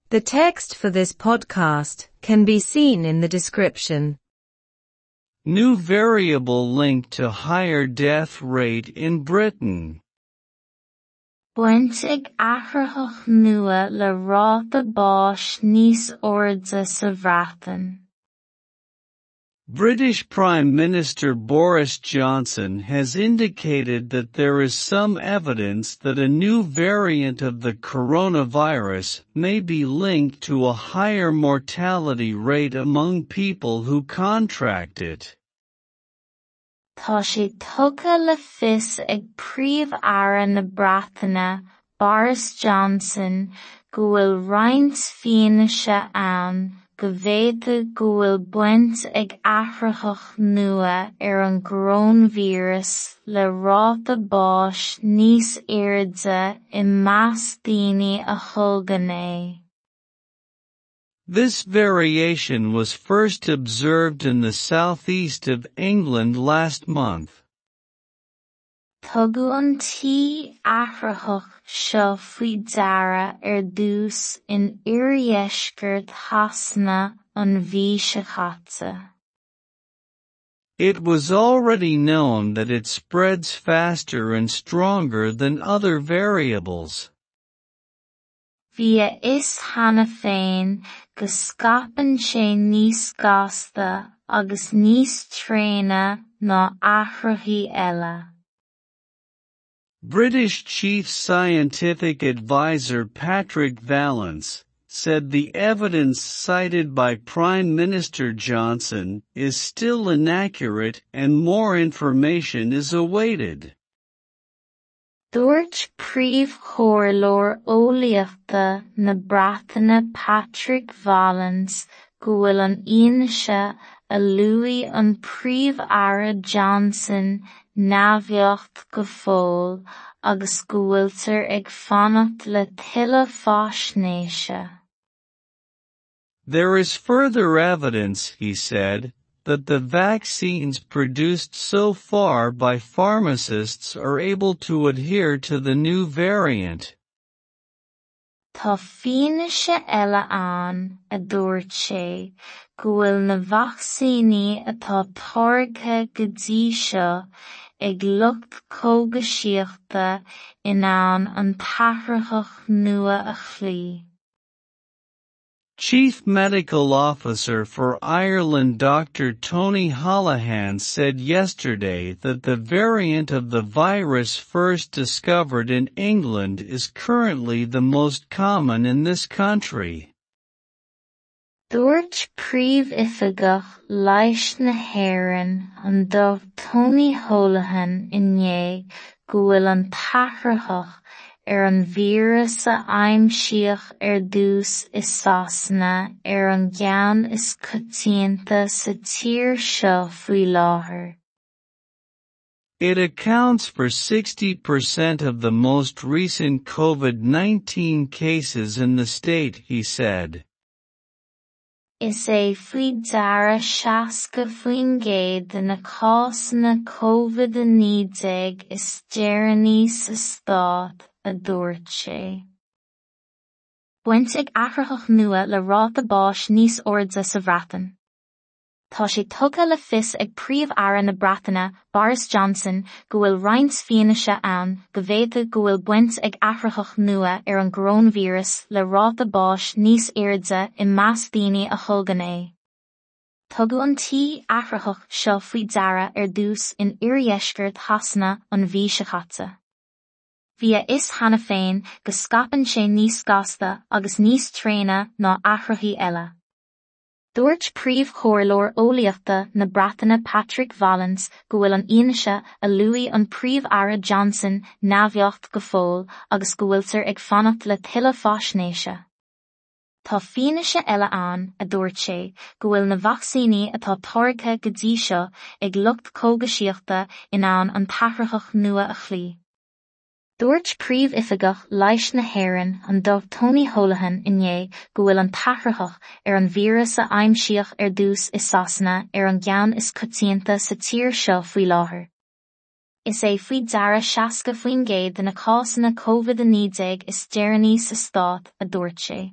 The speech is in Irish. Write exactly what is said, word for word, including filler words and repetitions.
The text for this podcast can be seen in the description. New variable linked to higher death rate in Britain. Baint ag athraitheach nua le ráta báis níos airde sa Bhreatain. British Prime Minister Boris Johnson has indicated that there is some evidence that a new variant of the coronavirus may be linked to a higher mortality rate among people who contract it. Tá sé tugtha le fios ag Príomh-Aire na Breataine, Boris Johnson, go bhfuil roinnt fianaise ann go bhféadfadh go bhfuil baint ag athraitheach nua ar an gcoróinvíreas le ráta báis níos airde i measc daoine a tholgann é. This variation was first observed in the southeast of England last month. Tugadh an t-athraitheach seo faoi deara ar dtús in oirdheisceart Shasana an mhí seo caite. It was already known that it spreads faster and stronger than other variables. Bhí a fhios cheana féin go scaipeann sé níos gasta agus níos tréine ná athraithí eile. British Chief Scientific Adviser Patrick Vallance said the evidence cited by Prime Minister Johnson is still inaccurate and more information is awaited. Dúirt príomhchomhairleoir eolaíochta na Breataine Patrick Vallance go bhfuil an fhianaise a luaigh an Príomh-Aire Johnson neamhbheacht go fóill agus go bhfuiltear ag fanacht le tuilleadh faisnéise. There is further evidence, he said, that the vaccines produced so far by pharmacists are able to adhere to the new variant. Tá fianaise eile ann, a dúirt sé, go bhfuil na vacsaíní atá táirgthe go dtí seo ag lucht cógaisíochta in ann an t-athraitheach nua a chloí. Chief Medical Officer for Ireland Doctor Tony Holohan said yesterday that the variant of the virus first discovered in England is currently the most common in this country. Dúirt príomhoifigeach leighis na hÉireann an Dochtúir Tony Holohan inné go bhfuil an t-athraitheach ar an víreas a aimsíodh ar dtús i Sasana ar an gceann is coitianta sa tír seo faoi láthair. It accounts for sixty percent of the most recent COVID nineteen cases in the state, he said. Is é faoi deara seasca faoin gcéad de na cásanna COVID a naoi déag is deireanaí sa stát, a dúirt sé. Baint ag athraitheach nua le ráta báis níos airde sa Bhreatain. Tá sé tugtha le fios ag Príomh-Aire na Breataine, Boris Johnson, go bhfuil roinnt fianaise ann go bhféadfadh go bhfuil baint ag athraitheach nua ar an gcoróinvíreas le ráta báis níos airde i measc daoine a tholgann é. Tugadh an t-athraitheach seo faoi deara ar dtús in oirdheisceart Shasana an mhí seo caite. Bhí a fhios cheana féin go scaipeann sé níos gasta agus níos tréine ná athraithí eile. Dúirt príomhchomhairleoir eolaíochta na Breataine Patrick Vallance go bhfuil an fhianaise a luaigh an Príomh-Aire Johnson neamhbheacht go fóill agus go bhfuiltear ag fanacht le tuilleadh faisnéise. Tá fianaise eile ann, a dúirt sé, go bhfuil na vacsaíní atá táirgthe go dtí seo ag lucht cógaisíochta in ann an t-athraitheach nua a chloí. Dúirt príomhoifigeach leighis na hÉireann an Dochtúir Tony Holohan inné go bhfuil an t-athraitheach ar an víreas a aimsíodh ar dtús i Sasana ar an gceann is coitianta sa tír seo faoi láthair. Is é faoi deara seasca faoin gcéad de na cásanna COVID a naoi déag is deireanaí sa stát, a dúirt sé.